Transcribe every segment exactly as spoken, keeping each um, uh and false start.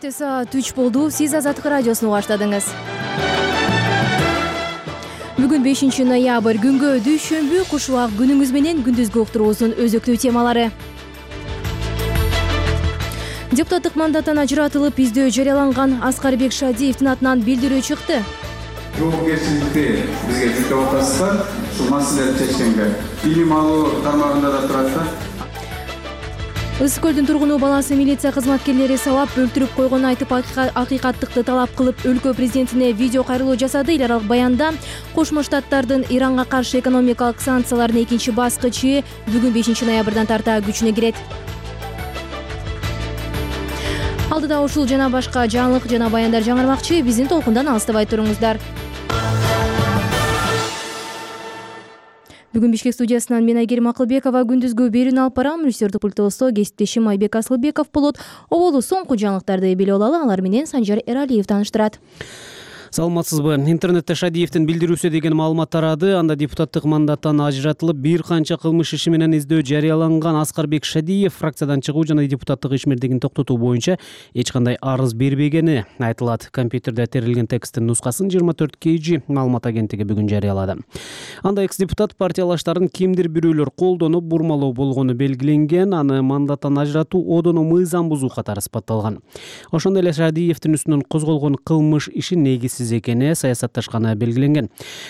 Чет саат үч болду. Сиз Азаттык радиосун баштадыңыз. Бүгүн бешинчи ноябрь, күнгө дүйшөмбү, куш убак күнүңүз менен күндүзгү уктуруубуздун өзөктүү темалары. Депутаттык мандаттан ажыратылып, издөө жарыяланган Аскарбек Шадиевдин атынан билдирүү чыкты. Жоопкерчиликти бизге жүктөп атасыздар. Ушул маселелерди чечкенге билим алуу тармагында да турат. Ысык көлдүн тургуну баласы милиция кызматкерлери сабап өлтүрүп койгонун айтып, акыйкаттыкты талап кылып, өлкө президентине видео кайрылуу жасады. Эл аралык баянда Кошмо Штаттардын Иранга каршы экономикалык санкциялардын экинчи баскычы бүгүн бешинчи ноябрдан тарта күчүнө кирет. Алдыда ушул жана башка жаңылык жана баяндар жаңырмакчы. Биздин толкундан алыстабай туруңуздар. Бүгүн Бишкек студиясынан мен Айгерим Акылбекова күндүзгү берүүнү алып барам. Режиссердик пультубузда кесиптешим Айбек Асылбеков болот. Оболу соңку жаңылыктарды билип алалы. Алар менен Санжар Эралиев тааныштырат. Саламатсызбы? Интернетте Шадиевдин билдирүүсү деген маалымат тарады. Анда депутаттык мандаттан ажыратылып, бир канча кылмыш иши менен издөө жарыяланган Аскарбек Шадиев фракциядан чыгуу жана депутаттык ишмердигин токтотуу боюнча эч кандай арыз бербегени айтылат. Компьютерде терилген тексттин нускасын жыйырма төрт кей жи маалымат агенттиги бүгүн жарыялады. Анда экс-депутат партиялаштарын кимдир бирөөлөр колдонуп бурмалоо болгону белгиленген, аны мандаттан ажыратуу одону мыйзам бузуу катары сыпатталган. Ошондой эле Шадиевдин үстүнөн козголгон кылмыш иши негизсиз экени саясатташканы белгиленген.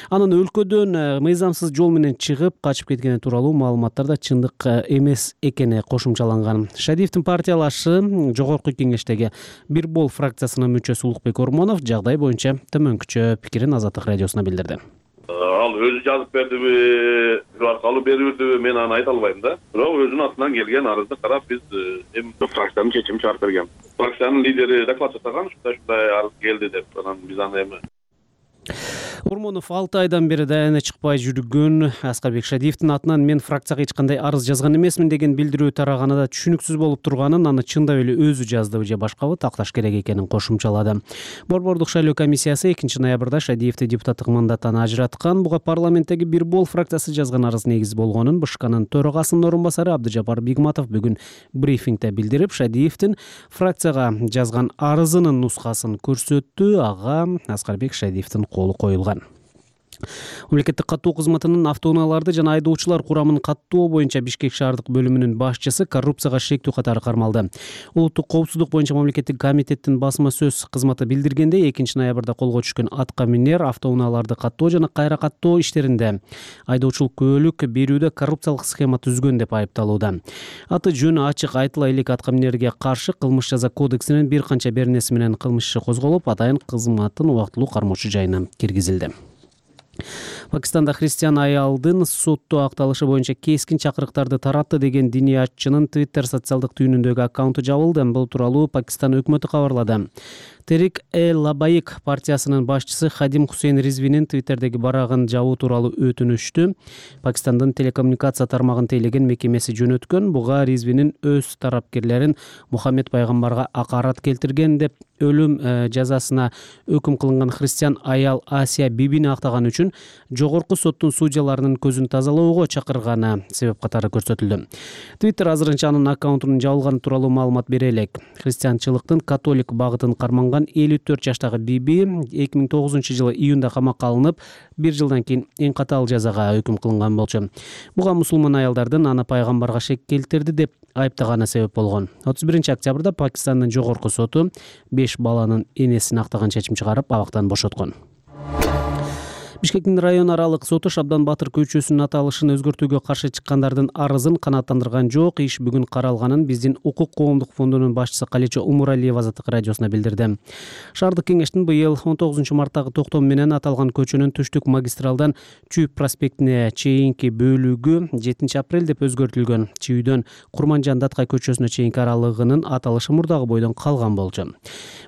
Анын өлкөдөн мыйзамсыз жол менен чыгып качып кеткени тууралуу маалыматтарда чындык эмес экени кошумчаланган. Шадиевдин партиялашы жогорку кеңештеги Бир бол фракциясынын мүчөсү Улукбек Ормонов жагдай боюнча төмөнкүчө пикирин Азаттык радиосуна билдирди. Ал өзү жазып бердиби, аркалуу берүүдүбү, мен аны айта албайм да. Бирок өзүнүн атынан келген арызды карап биз эми фракциянын чечимин чыгарып берген. Фракциянын лидери доклад жасаган, ушундай-ушундай арыз келди деп. Анан биз аны эми Ормонов алты айдан бери даярына чыкпай жүргөн Аскарбек Шадиевдин атынан мен фракцияга эч кандай арыз жазган эмесмин деген билдирүү тараганында түшүнүксүз болуп турганын, аны чындап эле өзү жаздыбы же башкабы такташ керек экенин кошумчалады. Борбордук шайлоо комиссиясы экинчи ноябрда Шадиевди депутаттык мандаттан ажыраткан. Буга парламенттеги Бир бол фракциясы жазган арыз негиз болгонун БШКнын төрагасынын орун басары Абдыжапар Бигматов бүгүн брифингде билдирип, Шадиевдин фракцияга жазган арызынын нускасын көрсөттү. Ага Аскарбек Шадиевдин колу коюлган. Мамлекеттик каттоо кызматынын автоунааларды жана айдоочулар курамын каттоо боюнча Бишкек шаардык бөлүмүнүн башчысы коррупцияга шектүү катары кармалды. Улуттук коопсуздук боюнча мамлекеттик комитеттин басма сөз кызматы билдиргендей, экинчи ноябрда колго түшкөн атка минер автоунааларды каттоо жана кайра каттоо иштеринде айдоочулук күбөлүк берүүдө коррупциялык схема түзгөн деп айыпталууда. Аты жөнү ачык айтыла элек атка минерге каршы кылмыш жаза кодексинин бир канча беренеси менен кылмыш иши козголуп, атайын кызматын убактылуу кармоочу жайына киргизилди. Пакистанда христиан аялдын соттоо акталышы боюнча кескин чакырыктарды таратты деген диний атчынын Twitter социалдык түйүнүндөгү аккаунту жабылды. Бул тууралуу Пакистан өкмөтү кабарлады. Терик э Лабайык партиясынын башчысы Хадим Хусейн Ризвинин Твиттердеги барагын жабуу тууралуу өтүнүштү Пакистандын телекоммуникация тармагын тейлеген мекемеси жөнөткөн. Буга Ризвинин өз тарапкерлерин Мухаммед пайгамбарга акарат келтирген деп өлүм жазасына өкүм кылынган христиан аял Асия Бибини актаган үчүн жогорку соттун судьяларынын көзүн тазалоого чакырганы себеп катары көрсөтүлдү. Twitter азырынча анын аккаунтунун жабылганы тууралуу маалымат бере элек. Христианчылыктын католик багытын карманган элүү төрт жаштагы Биби эки миң тогузунчу жылы июнда камакка алынып, бир жылдан кийин эң катаал жазага өкүм кылынган болчу. Буга мусулман аялдардын аны пайгамбарга шек келтирди деп айыптаганы себеп болгон. отуз биринчи октябрда Пакистандын жогорку соту беш баланын энесин актаган чечим чыгарып, абактан бошоткон. Бишкектин район аралык соту Шабдан Батыр көчөсүнүн аталышын өзгөртүүгө каршы чыккандардын арызын канааттандырган жок. Иш бүгүн каралганын биздин укук коомдук фондунун башчысы Калечо Умуралиева Азаттык радиосуна билдирди. Шаардык кеңештин быйыл он тогузунчу марттагы токтому менен аталган көчөнүн түштүк магистралдан Чүйүп проспектине чейинки бөлүгү жетинчи апрель деп өзгөртүлгөн. Чүйүдөн Курманжан Даткай көчөсүнө чейинки аралыгынын аталышы мурдагы бойдон калган болчу.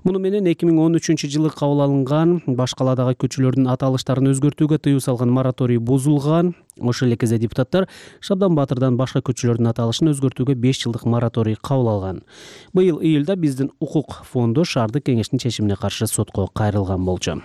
Муну менен эки миң он үчүнчү жылы кабыл алынган баш каладагы көчөлөрдүн аталыштарын өзгөртүүгө тыюу салган мораторий бузулган. Ошол эле кезде депутаттар Шабдан Батырдан башка көчөлөрдүн аталышын өзгөртүүгө беш жылдык мораторий кабыл алган. Быйыл июлда биздин укук фонду шаардык кеңештин чечимине каршы сотко кайрылган болчу.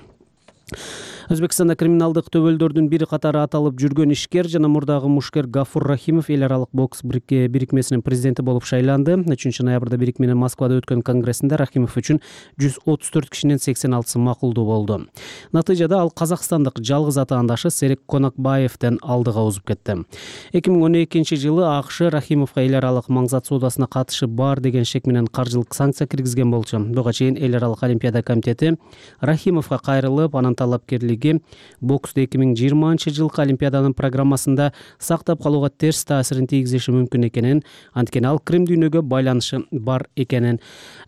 Өзбекстанда криминалдык төбөлдөрдүн бири катары аталып жүргөн ишкер жана мурдагы мушкер Гафур Рахимов эл аралык бокс бирикмесинин президенти болуп шайланды. үчүнчү ноябрда бирикменин Москвада өткөн конгрессинде Рахимов үчүн жүз отуз төрт кишинин сексен алтысы макулдуу болду. Натыйжада ал казакстандык жалгыз атаандашы Серик Конакбаевден алдыга озуп кетти. эки миң он экинчи жылы АКШ Рахимовго эл аралык маңзат соодасына катышы бар деген шек менен каржылык санкция киргизген болчу. Буга чейин эл аралык олимпиада комитети Рахимовго кайрылып, анын талапкерлиги боксту эки миң жыйырманчы жылкы олимпиаданын программасында сактап калууга терс таасирин тийгизиши мүмкүн экенин, анткени ал Крым дүйнөгө байланышы бар экенин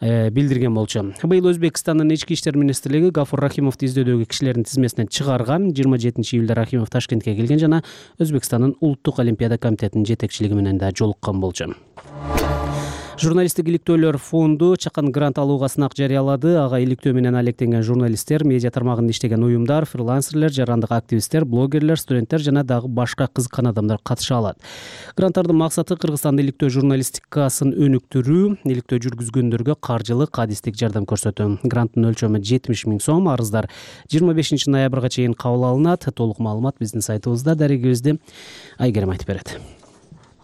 э, билдирген болчу. Быйыл Өзбекстандын ички иштер министрлиги Гафур Рахимовду издөдөгү кишилердин тизмесинен чыгарган. жыйырма жетинчи июлда Рахимов Ташкентке келген жана Өзбекстандын улуттук олимпиада комитетинин жетекчилиги менен да жолуккан болчу. Журналисттик иликтөөлөр фонду чакан грант алууга сынак жарыялады. Ага иликтөө менен алектенген журналисттер, медиа тармагында иштеген уюмдар, фрилансерлер, жарандык активисттер, блогерлер, студенттер жана дагы башка кызыккан адамдар катыша алат. Гранттардын максаты Кыргызстанда иликтөө журналистикасын өнүктүрүү, иликтөө жүргүзгөндөргө каржылык, адистик жардам көрсөтүү. Гранттын өлчөмү жетимиш миң сом. Арыздар жыйырма бешинчи ноябрга чейин кабыл алынат. Толук маалымат биздин сайтыбызда. Дарегибизди Айгерим айтып берет.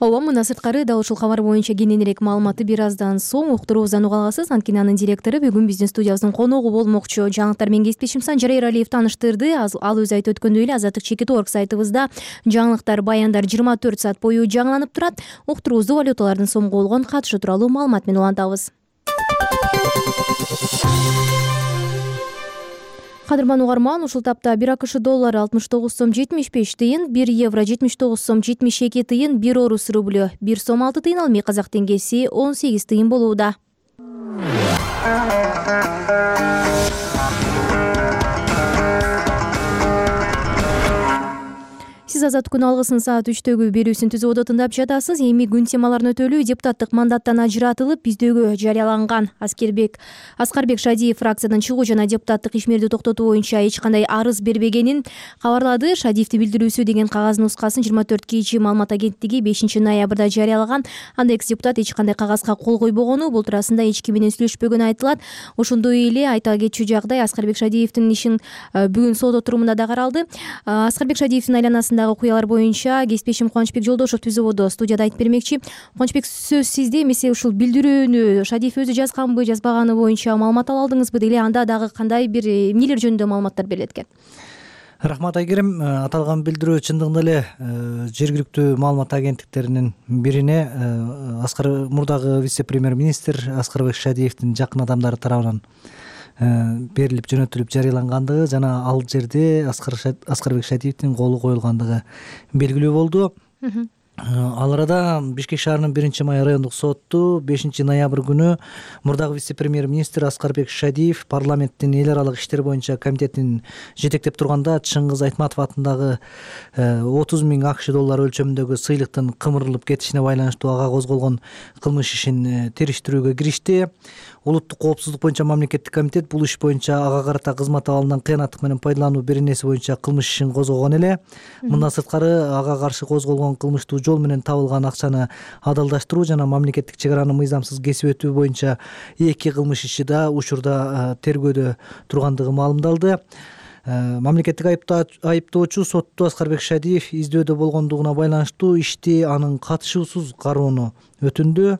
Ооба, мына сырткары дал ушул кабар боюнча кененирээк маалыматты бир аздан соң уктуруубуздан уга аласыз. Анткени анын директору бүгүн биздин студиябыздын коногу болмокчу. Жаңылыктар менен кесиптешим Санжар Эралиев таныштырды. Ал өзү айтып өткөндөй эле Азаттык чекит точка орг сайтыбызда жаңылыктар, баяндар жыйырма төрт саат бою жаңыланып турат. Уктуруубузду валюталардын сомго болгон катышы тууралуу маалымат менен улантабыз. Кадырман угарман, ушул тапта бир АКШ доллары алтымыш тогуз сом жетимиш беш тыйын, бир евро жетимиш тогуз сом жетимиш эки тыйын, бир орус рублю бир сом алты тыйын, ал эми казак теңгеси он сегиз тыйын болууда. Сиз Азаттык күн алгысын саат үчтөгү берүүсүн түзүп тыңдап жатасыз. Эми күн темаларын өтөлүү. Депутаттык мандаттан ажыратылып, биздөгө жарыяланган Аскербек Аскарбек Шадиев фракциядан чыгуу жана депутаттык ишмерди токтотуу боюнча эч кандай арыз бербегенин кабарлады. Шадиевдин билдирүүсү деген кагаз нускасын жыйырма төрт кийичи маалымат агенттиги бешинчи ноябрда жарыялаган. Анда экс депутат эч кандай кагазга кол койбогону, бул туурасында эч ким менен сүйлөшпөгөнү айтылат. Ошондой эле айта кетчү жагдай, Аскарбек Шадиевдин ишин бүгүн сот отурумунда да каралды. Аскарбек Шадиевдин айланасында окуялар боюнча кесиптешим Кубанычбек Жолдошев түзүүбүдө студияда айтып бермекчи. Кубанычбек, сөз сизде. Эмесе ушул билдирүүнү Шадиев өзү жазганбы, жазбаганы боюнча маалымат ала алдыңызбы? Деле анда дагы кандай бир эмнелер жөнүндө маалыматтар берилет экен? Рахмат Айгерим. Аталган билдирүү чындыгында эле жергиликтүү маалымат агенттиктеринин бирине Аскар мурдагы вице-премьер-министр Аскарбек Шадиевдин жакын адамдары тарабынан берилип жөнөтүлүп жарыялангандыгы жана ал жерде Аскарбек Шадиевдин колу коюлгандыгы белгилүү болду. Ал арада Бишкек шаарынын биринчи май райондук соту бешинчи ноябрь күнү мурдагы вице-премьер-министр Аскарбек Шадиев парламенттин эл аралык иштер боюнча комитетин жетектеп турганда Чыңгыз Айтматов атындагы отуз миң АКШ доллары өлчөмүндөгү сыйлыктын кымырылып кетишине байланыштуу ага козголгон кылмыш ишин териштирүүгө киришти. Улуттук коопсуздук боюнча мамлекеттик комитет бул иш боюнча ага карата кызмат абалынан кыянаттык менен пайдалануу беренеси боюнча кылмыш ишин козгогон эле. Мындан сырткары ага каршы козголгон кылмыштуу жол менен табылган акчаны адалдаштыруу жана мамлекеттик чек араны мыйзамсыз кесип өтүү боюнча эки кылмыш иши да учурда тергөөдө тургандыгы маалымдалды. Мамлекеттик айыптоочу сотто Аскарбек Шадиев издөөдө болгондугуна байланыштуу ишти анын катышуусуз кароону өтүндү.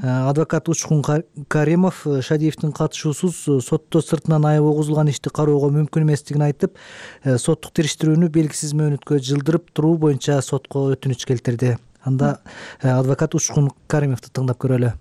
Адвокат Учкун Каримов Шадиевдин катышуусуз сотто сыртынан айып огузулган ишти кароого мүмкүн эместигин айтып, соттук териштирүүнү белгисиз мөөнөткө жылдырып туруу боюнча сотко өтүнүч келтирди. Анда адвокат Учкун Каримовду тыңдап көрөлү.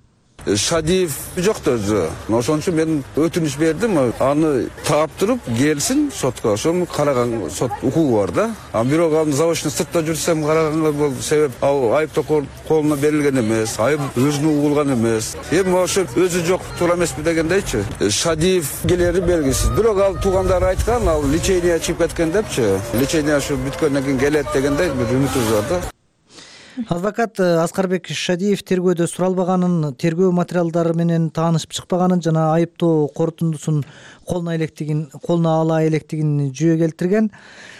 Шадиев жокто өзү. Ошон үчүн мен өтүнүч бердим. Аны таптырып келсин сотко. Ошону караган сот укугу бар да. А бирок аны заочно сыртта жүрсөм караганга бул себеп ал айыптоо колуна берилген эмес, айып өзүнө угулган эмес. Эми ошо өзү жок туура эмеспи дегендейчи. Шадиев келери белгисиз. Бирок ал туугандары айткан, ал лечение чыгып кеткен депчи. Лечение ошо бүткөндөн кийин келет дегендей бир үмүтүбүз бар да. Адвокат Аскарбек Шадиев тергөөдө суралбаганын, тергөө материалдары менен таанышып чыкпаганын жана айыптоо корутундусун колуна электигин, колуна ала электигин жүйө келтирген.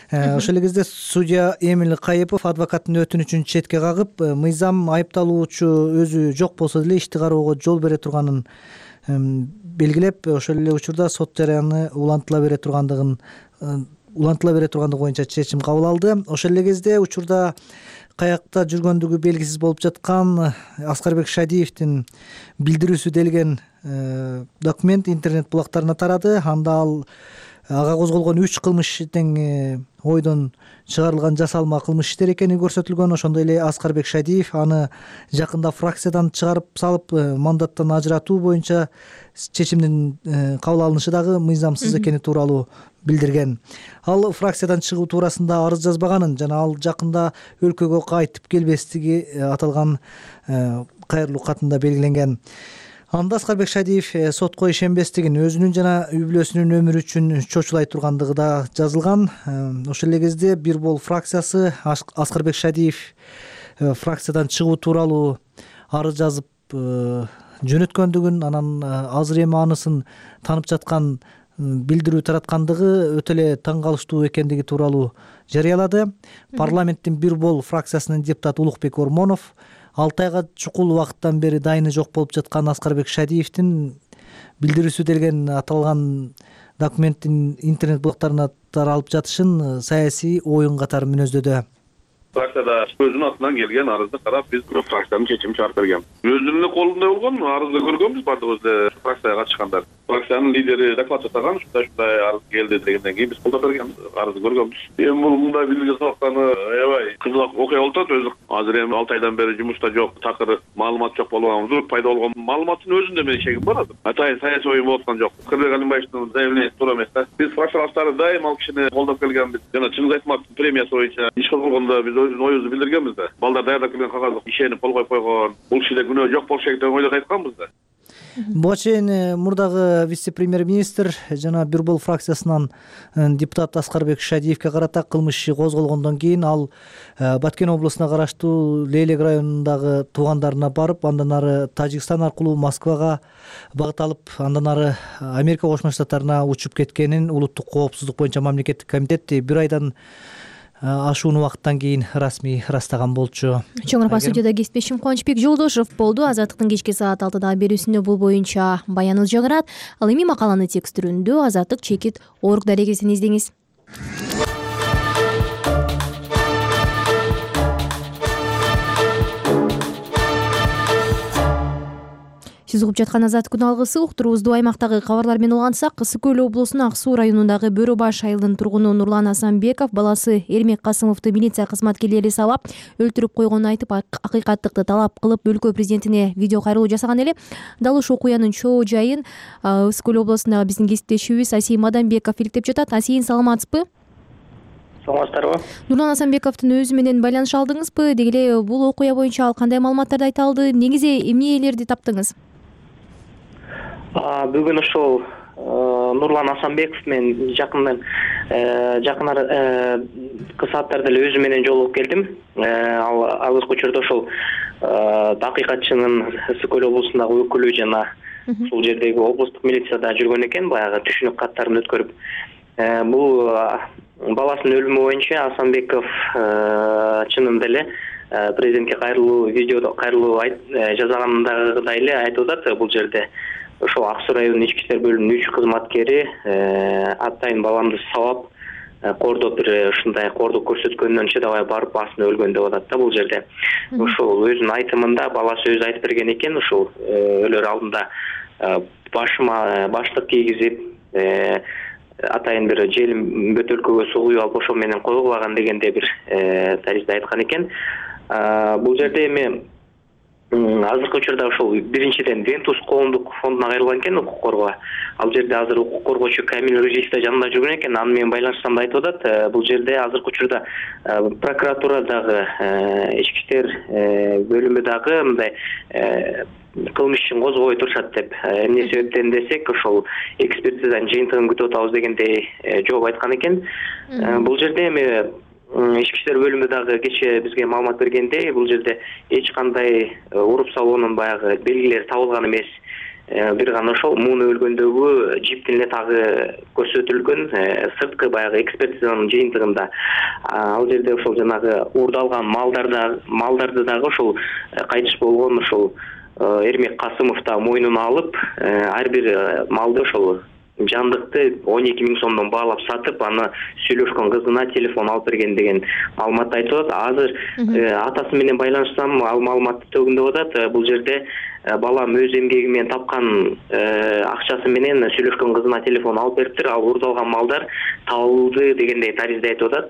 Ошол эле кезде судья Эмил Кайыпов адвокаттын өтүнүчүн четке кагып, мыйзам айыпталуучу өзү жок болсо деле ишти кароого жол бере турганын белгилеп, ошол эле учурда сот жараяны улантыла бере тургандыгын улантыла бере тургандыгы боюнча чечим кабыл алды. Ошол эле кезде учурда каякта жүргөндүгү белгисиз болуп жаткан Аскарбек Шадиевдин билдирүүсү делген документ интернет булактарына тарады. Анда ал ага козголгон үч кылмыш тең ойдон чыгарылган жасалма кылмыш иштер экени көрсөтүлгөн. Ошондой эле Аскарбек Шадиев аны жакында фракциядан чыгарып салып мандаттан ажыратуу боюнча чечимдин кабыл алынышы дагы мыйзамсыз экени тууралуу билдирген. Ал фракциядан чыгуу туурасында арыз жазбаганын жана ал жакында өлкөгө кайтып келбестиги аталган кайрылуу катында белгиленген. Анда Аскарбек Шадиев сотко ишенбестигин, өзүнүн жана үй бүлөсүнүн өмүрү үчүн чочулай тургандыгы да жазылган. Ошол эле кезде Бир Бол фракциясы Аскарбек Шадиев фракциядан чыгуу тууралуу арыз жазып жөнөткөндүгүн, анан азыр эми анысын таанып жаткан билдирүү тараткандыгы өтө эле таң калыштуу экендиги тууралуу жарыялады. Парламенттин Бир Бол фракциясынын депутаты Улукбек Ормонов алты айга чукул убакыттан бери дайыны жок болуп жаткан Аскарбек Шадиевдин билдирүүсү делген аталган документтин интернет булактарына таралып жатышын саясий оюн катары мүнөздөдү. Фракцияда өзүнүн атынан келген арызды карап, биз фракциянын чечимин чыгарып берген. Өзүнүн колунда болгон арызды көргөнбүз бардыгыбыз фракцияга катышкандар. Фракциянын лидери доклад жасаган, ушундай ушундай арыз келди дегенден кийин биз колдоп берген арызды көргөнбүз. Эми бул мындай билдирүү сабактаны аябай кызык окуя болуп атат. Өзү азыр эми алты айдан бери жумушта жок, такыр маалымат жок болгон, зур пайда болгон маалыматтын өзүндө менин шегим бар азыр. Атайын саясий оюн болуп аткан жок. Кырбек Алимбаевдин заявлениясы туура эмес да. Биз фракциялаштары дайым ал кишини колдоп келгенбиз. Жана Чыңгыз Айтматовдун премиясы боюнча иш кылганда биз өзүбүздүн оюбузду билдиргенбиз да. Балдар даярдап келген кагазды ишенип кол коюп койгон. Бул кишиде күнөө жок болуш керек деп ойлоп айтканбыз да. Буга чейин мурдагы вице-премьер-министр жана Бир Бол фракциясынан депутат Аскарбек Шадиевке карата кылмыш иши козголгондон кийин ал Баткен облусуна караштуу Лейлек районундагы туугандарына барып, андан ары Тажикстан аркылуу Москвага багыт алып, андан ары Америка Кошмо Штаттарына учуп кеткенин улуттук коопсуздук боюнча мамлекеттик комитет бир айдан ашуун убакыттан кийин расмий ырастаган болчу. Чоң Арпа студияда кесиптешим Кубанычбек Жолдошев болду. Азаттыктын кечки саат алтыдагы берүүсүндө бул боюнча баяныбыз жаңырат. Ал эми макаланы текст түрүндө Азаттык чекит орг дарегесин издеңиз. Сиз угуп жаткан Азаттык күн алгысы уктуруубузду аймактагы кабарлар менен улгансак, Ысык Көл облусунун Ак Суу районундагы Бөрө Баш айылынын тургуну Нурлан Асанбеков баласы Эрмек Касымовду милиция кызматкерлери сабап өлтүрүп койгонун айтып, акыйкаттыкты талап кылып өлкө президентине видео кайрылуу жасаган эле. Дал ушул окуянын чоо жайын Ысык Көл облусундагы биздин кесиптешибиз Асийин Маданбеков иликтеп жатат. Асийин, саламатсызбы? Саламатсыздарбы? Нурлан Асанбековдун өзү менен байланыш алдыңызбы? Деги эле бул окуя боюнча ал кандай маалыматтарды айта алды? Негизи эмнелерди таптыңыз? Бүгүн ушул Нурлан Асанбеков менен жакындан жакын сааттарда эле өзү менен жолугуп келдим. Ал азыркы учурда ошол акыйкатчынын Ысык Көл облусундагы өкүлү жана ушул жердеги облустук милицияда жүргөн экен, баягы түшүнүк каттарын өткөрүп. Бул баласынын өлүмү боюнча Асанбеков чынында эле президентке кайрылуу видеодо кайрылуу жасаганындагыдай эле айтып атат. Бул жерде ошол Ак Суу районунун ички иштер бөлүмүнүн үч кызматкери атайын баламды сабап кордоп бир ушундай кордук көрсөткөндөн чыдабай барып басына өлгөн деп атат да. Бул жерде ушул өзүнүн айтымында баласы өзү айтып берген экен, ушул өлөр алдында башыма баштык кийгизип атайын бир желим бөтөлкөгө суу куюп алып ошол менен койгулаган дегенде бир таризде айткан экен. Бул жерде эми азыркы учурда ушул биринчиден Вентус коомдук фондуна кайрылган экен, укук коргоо. Ал жерде азыр укук коргоочу Камил Рыжиев да жанында жүргөн экен. Аны менен байланышсам да айтып атат. Бул жерде азыркы учурда прокуратурадагы ички иштер бөлүмү дагы мындай кылмыш ишин козгобой турушат деп. Эмне себептен десек, ошол экспертизанын жыйынтыгын күтүп атабыз дегендей жооп айткан экен. Бул жерде эми ички иштер бөлүмү дагы кечээ бизге маалымат бергендей, бул жерде эч кандай уруп салуунун баягы белгилери табылган эмес. Бир гана ошол муну өлгөндөгү жиптин эле тагы көрсөтүлгөн сырткы баягы экспертизанын жыйынтыгында. Ал жерде ошол жанагы уурдалган малдарда малдарды дагы ошол кайтыш болгон ошол Эрмек Касымов да мойнуна алып, ар бир малды ошол жандыкты он эки миң сомдон баалап сатып, аны сүйлөшкөн кызына телефон алып берген деген маалымат айтып атат. Азыр атасы менен байланышсам, ал маалыматты төгүндөп атат. Бул жерде балам өз эмгеги менен тапкан акчасы менен сүйлөшкөн кызына телефон алып бериптир. Ал урдалган малдар табылды дегендей таризде айтып атат.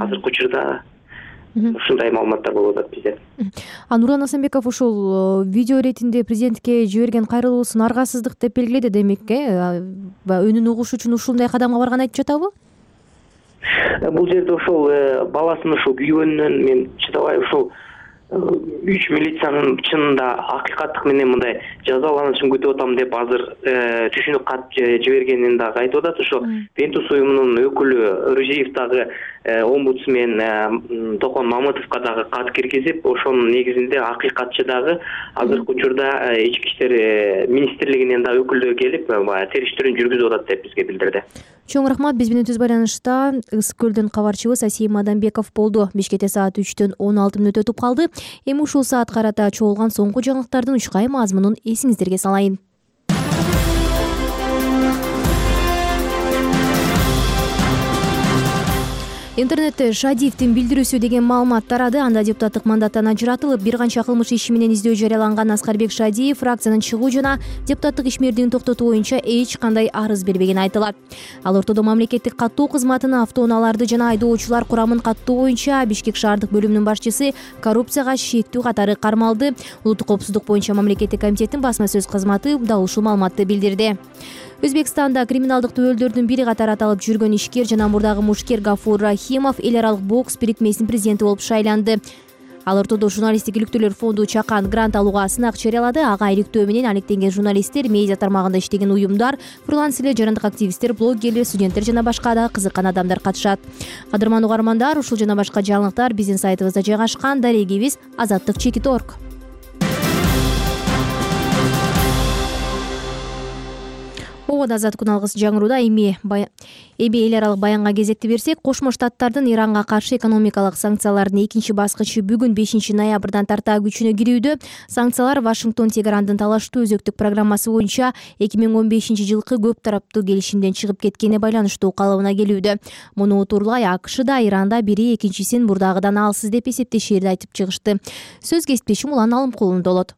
Азыркы учурда ушундай маалыматтар болуп атат бизде. А Нурлан Асанбеков ушул видео иретинде президентке жиберген кайрылуусун аргасыздык деп белгиледи, демек, э өнүн угуш үчүн ушундай кадамга барган айтып жатабы? Бул жерде ошол баласынын ушул күйгөнүнөн мен чыдабай ушул үч милициянын чынында акыйкаттык менен мындай жазаланышын күтүп атам деп азыр түшүнүк кат жибергенин дагы айтып атат. Ошо Пентус уюмунун өкүлү Рузиев дагы омбудсмен Токон Мамытовго дагы кат киргизип, ошонун негизинде акыйкатчы дагы азыркы учурда ички иштер министрлигинен дагы өкүлдөр келип, баягы териштирүүнү жүргүзүп атат деп бизге билдирди. Чоң рахмат. Биз менен түз байланышта Ысык көлдөн кабарчыбыз Асим Адамбеков болду. Бишкекте саат үчтөн он алты мүнөт өтүп калды. Эми ушул саат карата чогулган соңку жаңылыктардын учкай мазмунун эсиңиздерге салайын. Интернетте Шадиевдин билдирүүсү деген маалымат тарады. Анда депутаттык мандаттан ажыратылып, бир канча кылмыш иши менен издөө жарыяланган Аскарбек Шадиев фракциянын чыгуу жана депутаттык ишмердигин токтотуу боюнча эч кандай арыз бербегени айтылат. Ал ортодо мамлекеттик каттоо кызматына автоунааларды жана айдоочулар курамын каттоо боюнча Бишкек шаардык бөлүмүнүн башчысы коррупцияга шектүү катары кармалды. Улуттук коопсуздук боюнча мамлекеттик комитеттин басма сөз кызматы дал ушул маалыматты билдирди. Өзбекстанда криминалдык төбөлдөрдүн бири катары аталып жүргөн ишкер жана мурдагы мушкер Гафур Рахимов эл аралык бокс бирикмесинин президенти болуп шайланды. Ал ортодо журналисттик иликтөөлөр фонду Чакан грант алууга сынак жарыялады. Ага иликтөө менен алектенген журналисттер, медиа тармагында иштеген уюмдар, фрилансерлер, жарандык активисттер, блогерлер, студенттер жана башка да кызыккан адамдар катышат. Кадырман угармандар, ушул жана башка жаңылыктар биздин сайтыбызда жайгашкан. Дарегибиз азаттык чекит точка орг. Обода азат күн алгыс жаңырууда эми эми эл аралык баянга кезекти берсек, Кошмо Штаттардын Иранга каршы экономикалык санкциялардын экинчи баскычы бүгүн бешинчи ноябрдан тарта күчүнө кирүүдө. Санкциялар Вашингтон Тегерандын талаштуу өзөктүк программасы боюнча эки миң он бешинчи жылкы көп тараптуу келишимден чыгып кеткенине байланыштуу калыбына келүүдө. Муну утурлай АКШ да Иранда бири экинчисин мурдагыдан алсыз деп эсептешерди айтып чыгышты. Сөз кесиптешим Улан Алымкулунда болот.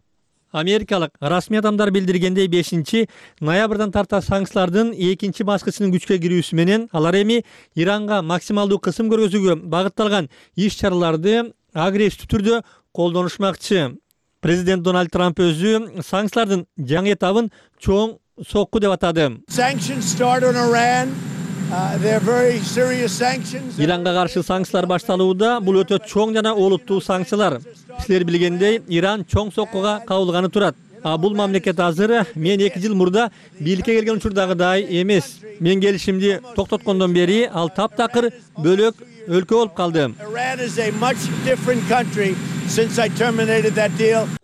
Америкалык расмий адамдар билдиргендей бешинчи ноябрдан тарта санкциялардын экинчи баскычынын күчкө кирүүсү менен алар эми Иранга максималдуу кысым көргөзүүгө багытталган иш-чараларды агрессивдүү түрдө колдонушмакчы. Президент Дональд Трамп өзү санкциялардын жаңы этабын чоң сокку деп атады. Иранга каршы санкциялар башталууда. Бул өтө чоң жана олуттуу санкциялар. Силер билгендей, Иран чоң соккуга кабылганы турат. А бул мамлекет азыр мен эки жыл мурда бийликке келген учурдагыдай эмес. Мен келишимди токтоткондон бери ал таптакыр бөлөк өлкө болуп калды.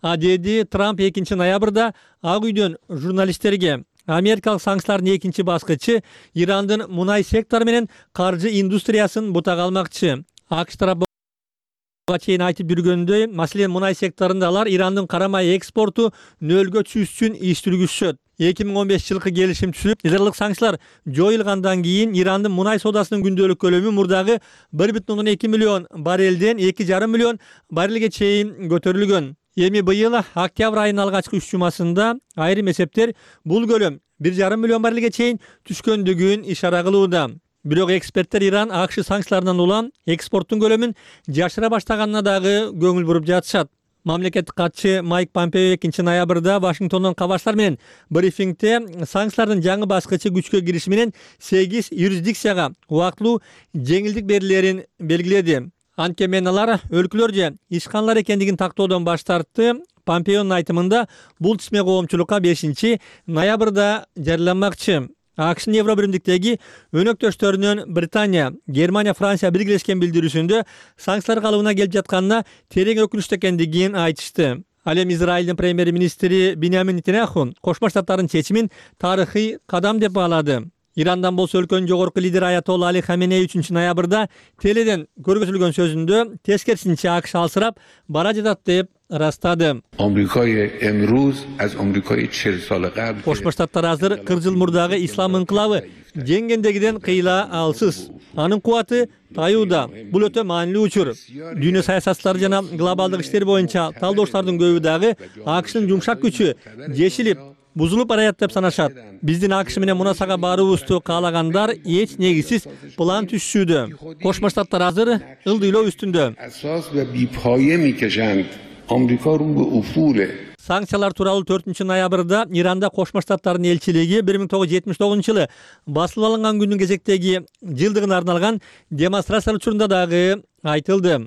А деди Трамп экинчи ноябрда Ак үйдөн журналисттерге. Америкалык санкциялардын экинчи баскычы Ирандын мунай сектору менен каржы индустриясын бутага алмакчы. АКШ тарапы чейин айтып жүргөндөй, маселен мунай секторунда алар Ирандын кара май экспорту нөлгө түшүш үчүн иш жүргүзүшөт. эки миң он беш жылкы келишим түзүлүп, нидерлык санкциялар жоюлгандан кийин Ирандын мунай соодасынын күндөлүк көлөмү мурдагы бир бүтүн ондон эки миллион баррелден эки жарым миллион баррелге чейин көтөрүлгөн. Эми быйыл октябрь айынын алгачкы үч жумасында айрым эсептер бул көлөм бир жарым миллион баррелге чейин түшкөндүгүн ишара кылууда. Бирок эксперттер Иран АКШ санкцияларынан улам экспорттун көлөмүн жашыра баштаганына дагы көңүл буруп жатышат. Мамлекеттик катчы Майк Помпео экинчи ноябрда Вашингтондон кабарчылар менен брифингде санкциялардын жаңы баскычы күчкө кириши менен сегиз юрисдикцияга убактылуу жеңилдик берилерин белгиледи. Анткени алар өлкөлөр же ишканалар экендигин тактоодон баш тартты. Помпеонун айтымында бул тисме коомчулукка бешинчи ноябрда жарыяланмакчы. АКШнын Евро биримдиктеги өнөктөштөрүнөн Британия, Германия, Франция биргелешкен билдирүүсүндө санкциялар калыбына келип жатканына терең өкүнүчтүү экендигин айтышты. Ал эми Израилдин премьер-министри Биньямин Нетаньяху Кошмо Штаттардын чечимин тарыхый кадам деп баалады. Ирандан болсо өлкөнүн жогорку лидери Аятолла Али Хаменей үчүнчү ноябрда теледен көргөзүлгөн сөзүндө тескерисинче АКШ алсырап бара жатат деп ырастады. Кошмо Штаттар азыр кырк жыл мурдагы ислам инкылабы жеңгендегиден кыйла алсыз. Анын кубаты таюуда. Бул өтө маанилүү учур. Дүйнө саясатчылары жана глобалдык иштер боюнча талдоочулардын көбү дагы АКШнын жумшак күчү жешилип, бузулуп барат деп санашат. Биздин АКШ менен мунасага баруубузду каалагандар эч негизсиз план түзүшүүдө. Кошмо Штаттар азыр ылдыйлоо үстүндө. Санкциялар тууралуу төртүнчү ноябрда Иранда Кошмо Штаттардын элчилиги бир миң тогуз жүз жетимиш тогузунчу жылы басылып алынган күндүн кезектеги жылдыгына арналган демонстрациялар учурунда дагы айтылды.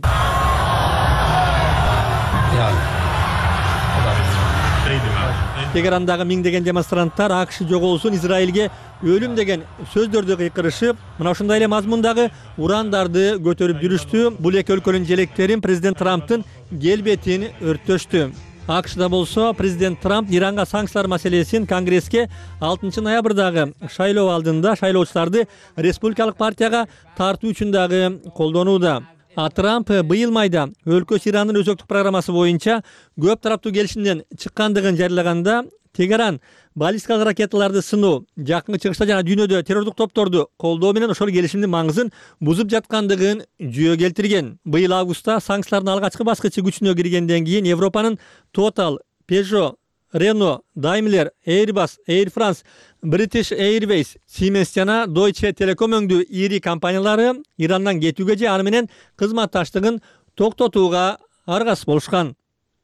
Тегерандагы миңдеген демонстранттар АКШ жоголсун, Израилге өлүм деген сөздөрдү кыйкырышып, мына ушундай эле мазмундагы урандарды көтөрүп жүрүштү. Бул эки өлкөнүн желектерин президент Трамптын келбетин өрттөштү. АКШда болсо президент Трамп Иранга санкциялар маселесин Конгресске алтынчы ноябрдагы шайлоо алдында шайлоочуларды республикалык партияга тартуу үчүн дагы колдонууда. А Трамп быйыл майда өлкөсү Ирандын өзөктүк программасы боюнча көп тараптуу келишимден чыккандыгын жарыялаганда, Тегеран баллистикалык ракеталарды сыноо, жакынкы чыгышта жана дүйнөдө террордук топторду колдоо менен ошол келишимдин маңызын бузуп жаткандыгын жүйө келтирген. Быйыл августта санкциялардын алгачкы баскычы күчүнө киргенден кийин Европанын Total, Peugeot, Renault, Daimler, Airbus, Air France, British Airways, Siemens жана Deutsche Telekom өңдүү ири компаниялары Ирандан кетүүгө же аны менен кызматташтыгын токтотууга аргасыз болушкан.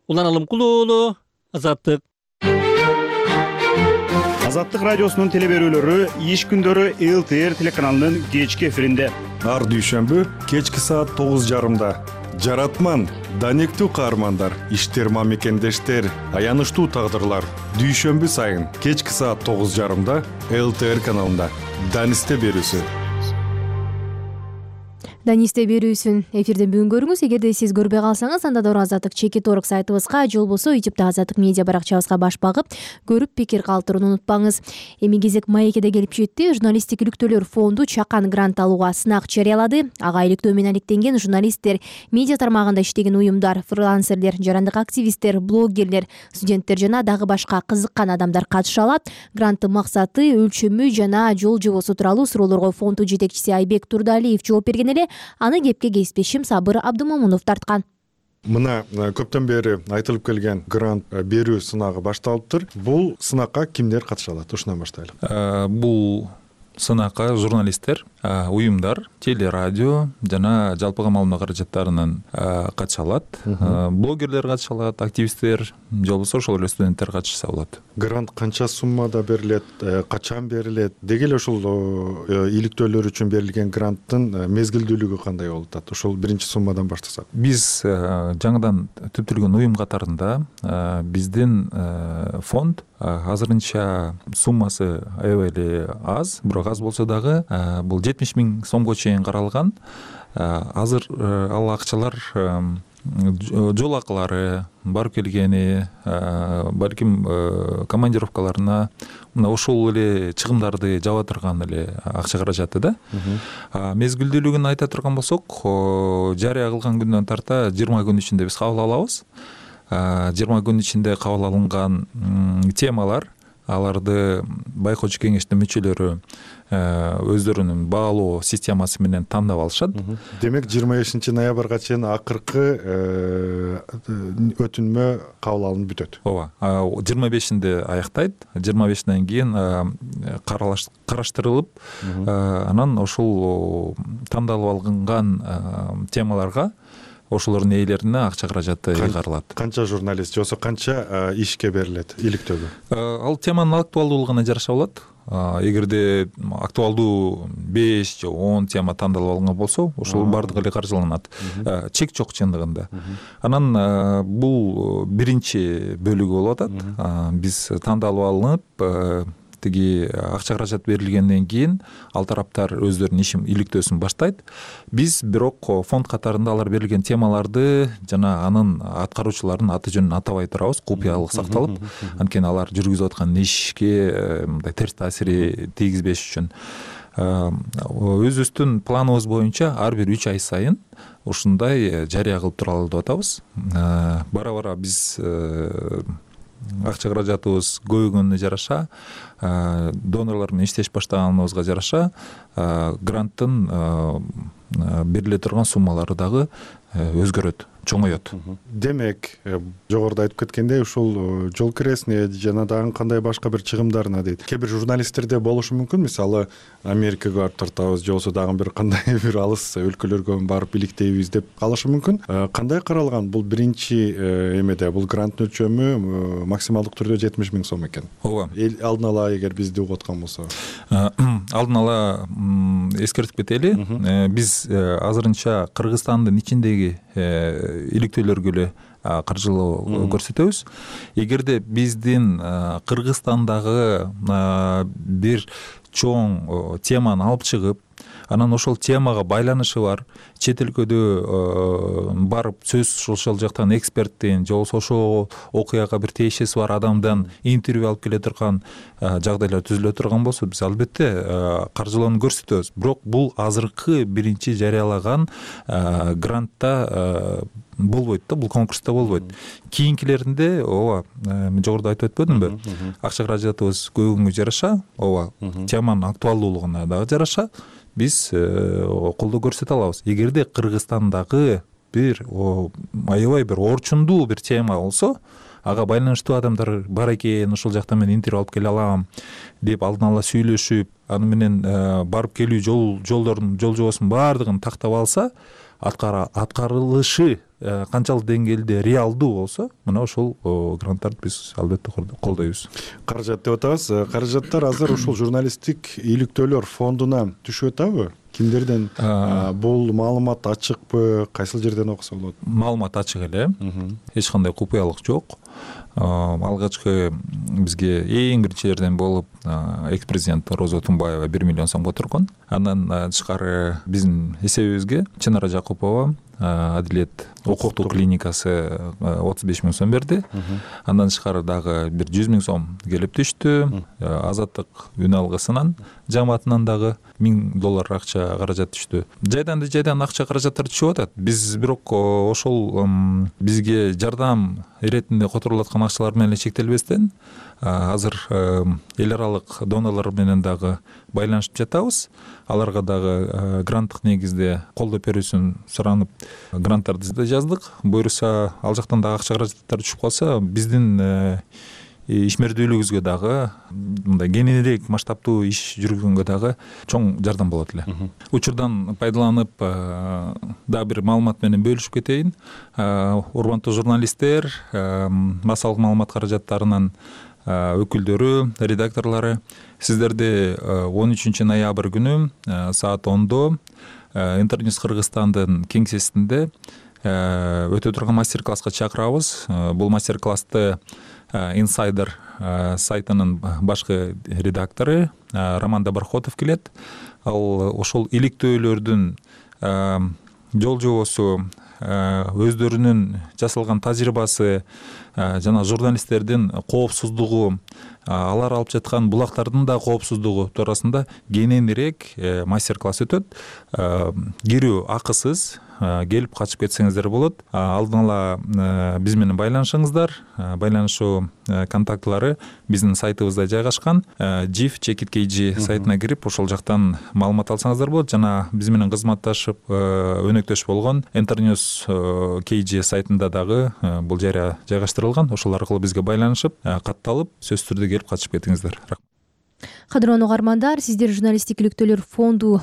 Улан Алымкулуу уулу, Азаттык. Азаттык радиосунун телеберүүлөрү иш күндөрү эл тэ эр телеканалынын кечки эфиринде. Ар дүйшөмбү кечки саат тогуз жарымда. Жаратман, данектүү каармандар, иштер мамекендештер, аянычтуу тагдырлар. Дүйшөмбү сайын кечки саат тогуз жарымда эл тэ эр каналында. Данисте берүүсү. Данисте берүүсүн эфирден бүгүн көрүңүз. Эгерде сиз көрбөй калсаңыз, анда да Азаттык чекит орг сайтыбызга же болбосо ютубта Азаттык медиа баракчабызга баш багып, көрүп пикир калтырууну унутпаңыз. Эми кезек маекеде келип жетти. Журналисттик иликтөөлөр фонду чакан грант алууга сынак жарыялады. Ага иликтөө менен алектенген журналисттер, медиа тармагында иштеген уюмдар, фрилансерлер, жарандык активисттер, блогерлер, студенттер жана дагы башка кызыккан адамдар катыша алат. Гранттын максаты, өлчөмү жана жол жобосу тууралуу суроолорго фонду жетекчиси Айбек Турдалиев жооп берген эле. Аны кепке кесиптешим Сабыр Абдымомунов тарткан. Мына көптөн бери айтылып келген грант берүү сынагы башталыптыр. Бул сынакка кимдер катыша алат? Ушундан баштайлы. Бул сынакка журналисттер, уюмдар, телерадио жана жалпыга маалымат каражаттарынын катыша алат. Блогерлер катыша алат, активисттер, же болбосо ошол эле студенттер катышса болот. Грант канча суммада берилет, качан берилет? Деги эле ушул иликтөөлөр үчүн берилген гранттын мезгилдүүлүгү кандай болуп атат? Ошол биринчи суммадан баштасак. Биз жаңыдан түптөлгөн уюм катарында биздин фонд азырынча суммасы аябай эле аз, бирок аз болсо дагы бул жетимиш миң сомго чейин каралган. Азыр ал акчалар жол акылары, барып келгени, балким командировкаларына, мына ошол эле чыгымдарды жаба турган эле акча каражаты да. Мезгилдүүлүгүн айта турган болсок, жарыя кылган күндөн тарта жыйырма күн ичинде биз кабыл алабыз. жыйырма күн ичинде кабыл алынган темалар, аларды байкоочу кеңештин мүчөлөрү өздөрүнүн баалоо системасы менен тандап алышат. Демек жыйырма бешинчи ноябрга чейин акыркы өтүнмө кабыл алынып бүтөт. Ооба, жыйырма бешинде аяктайт. жыйырма бешинден кийин караштырылып, анан ошол тандалып алынган темаларга ошолордун ээлерине акча каражаты ыйгарылат. Канча журналист же болбосо канча ишке берилет иликтөөгө? Ал теманын актуалдуулугуна жараша болот. Эгерде актуалдуу беш же он тема тандалып алынган болсо, ошол бардыгы эле каржыланат. Чек жок чындыгында. Анан бул биринчи бөлүгү болуп атат. Биз тандалып алынып, тиги акча каражат берилгенден кийин ал тараптар өздөрүнүн ишин иликтөөсүн баштайт. Биз бирок фонд катарында алар берилген темаларды жана анын аткаруучулардын аты жөнүн атабай турабыз, купуялык сакталып, анткени алар жүргүзүп аткан ишке мындай терс таасири тийгизбеш үчүн өзүбүздүн планыбыз боюнча ар бир үч ай сайын ушундай жарыя кылып туралы деп атабыз. Бара бара биз акча каражатыбыз көбөйгөнүнө жараша, донорлор менен иштеш баштаганыбызга жараша гранттын бериле турган суммалары дагы өзгөрөт, чоңоет. Демек, жогоруда айтып кеткендей, ушул жол киресине жана дагы кандай башка бир чыгымдарына дейт. Кээ бир журналисттерде болушу мүмкүн, мисалы Америкага барып тартабыз, же болбосо дагы бир кандай бир алыс өлкөлөргө барып иликтейбиз деп калышы мүмкүн. Кандай каралган? Бул биринчи эмеде, бул гранттын өлчөмү максималдык түрдө жетимиш миң сом экен. Ооба. Алдын ала эгер бизди угуп аткан болсо. Алдын ала эскертип кетели. Биз азырынча Кыргызстандын ичиндеги иликтөөлөргө эле каржылоо көрсөтөбүз. Эгерде биздин Кыргызстандагы бир чоң теманы алып чыгып, анан ошол темага байланышы бар чет өлкөдө барып сөз ошол жактан эксперттен же болбосо ошол окуяга бир тиешеси бар адамдан интервью алып келе турган жагдайлар түзүлө турган болсо, биз албетте каржылоону көрсөтөбүз. Бирок бул азыркы биринчи жарыялаган грантта болбойт да, бул конкурста болбойт. Кийинкилеринде ооба, мен жогоруда айтып өтпөдүмбү? Акча каражатыбыз көбөйгөнгө жараша, ооба, теманын актуалдуулугуна дагы жараша биз колдоо көрсөтө алабыз. Эгерде Кыргызстандагы бир аябай бир орчундуу бир тема болсо, ага байланыштуу адамдар бар экен, ошол жактан мен интервью алып келе алам деп алдын ала сүйлөшүп, аны менен барып келүү жол жолдордун жол жобосунун баардыгын тактап алса, аткарылышы канчалык деңгээлде реалдуу болсо, мына ошол гранттарды биз албетте колдойбуз. Каражат деп атабыз. Каражаттар азыр ушул журналисттик иликтөөлөр фондуна түшүп атабы? Кимдерден? Бул маалымат ачыкпы? Кайсыл жерден окуса болот? Маалымат ачык эле. Эч кандай купуялык жок. Алгачкы бизге эң биринчи жерден болуп экс-президент Роза Тумбаева бир миллион сомго турган. Андан тышкары биздин эсебибизге Чынара Жакупова Адилет укуктук клиникасы отуз беш миң сом берди. Андан тышкары дагы бир жүз миң сом келип түштү. Азаттык үн алгысынан жамаатынан дагы миң доллар акча каражат түштү. Жайдан жайдан акча каражаттар түшүп атат. Биз бирок ошол бизге жардам иретинде которулуп аткан акчалар менен чектелбестен, азыр эл аралык донорлор менен дагы байланышып жатабыз. Аларга дагы гранттык негизде колдоо берүүсүн суранып, гранттарды да жаздык. Буюрса, ал жактан дагы акча каражаттар түшүп калса, биздин ишмердүүлүгүбүзгө дагы мындай кеңирээк масштабтуу иш жүргөнгө дагы чоң жардам болот эле. Учурдан пайдаланып дагы бир маалымат менен бөлүшүп кетейин. Урматтуу журналисттер, массалык маалымат каражаттарынын өкүлдөрү, редакторлору, сиздерди он үчүнчү ноябрь күнү саат ондо Интерньюс Кыргызстандын кеңсесинде өтө турган мастер-класска чакырабыз. Бул мастер-классты Insider сайтынын башкы редактору Роман Доброхотов келет. Ал ошол иликтөөлөрдүн жол жобосу, өздөрүнүн жасалган тажрыйбасы жана журналисттердин коопсуздугу, алар алып жаткан булактардын да коопсуздугу туурасында кененирээк мастер-класс өтөт. Кирүү акысыз, келип качып кетсеңиздер болот. Алдын ала биз менен байланышыңыздар. Байланышуу контактылары биздин сайтыбызда жайгашкан. жиф чекит кей джи сайтына кирип, ошол жактан маалымат алсаңыздар болот. Жана биз менен кызматташып өнөктөш болгон Интерньюс кей джи сайтында дагы бул жарыя жайгаштырылган. Ошол аркылуу бизге байланышып, катталып, сөзсүз түрдө келип качып кетиңиздер. Кадырлуу угармандар, сиздер журналисттик иликтөөлөр фонду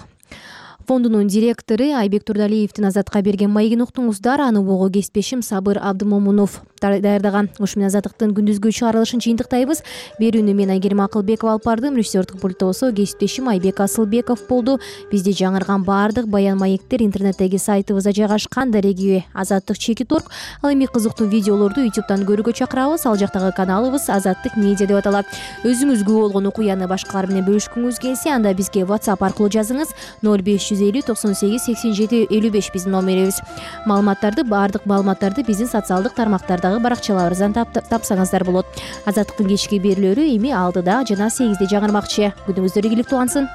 фондунун директору Айбек Турдалиевдин Азатка берген маегин уктуңуздар. Аны угуу кесиптешим Сабыр Абдымомунов даярдаган. Ушу менен Азаттыктын күндүзгү чыгарылышын жыйынтыктайбыз. Берүүнү мен Айгерим Акылбекова алып бардым. Режиссердук пультта болсо кесиптешим Айбек Асылбеков болду. Бизде жаңырган баардык баян маектер интернеттеги сайтыбызда жайгашкан. Дареги Азаттык чекит точка орг. Ал эми кызыктуу видеолорду ютубтан көрүүгө чакырабыз. Ал жактагы каналыбыз Азаттык медиа деп аталат. Өзүңүзгө болгон окуяны башкалар менен бөлүшкүңүз келсе, анда бизге WhatsApp аркылуу жазыңыз. ноль беш жүз элүү токсон сегиз сексен жети элүү беш биздин номерибиз. Маалыматтарды, баардык маалыматтарды биздин социалдык тармактардагы баракчаларыбыздан тапсаңыздар болот. Азаттыктын кечки берүүлөрү эми алтыда жана сегизде жаңырмакчы. Күнүңүздөр ийгиликтүү улансын.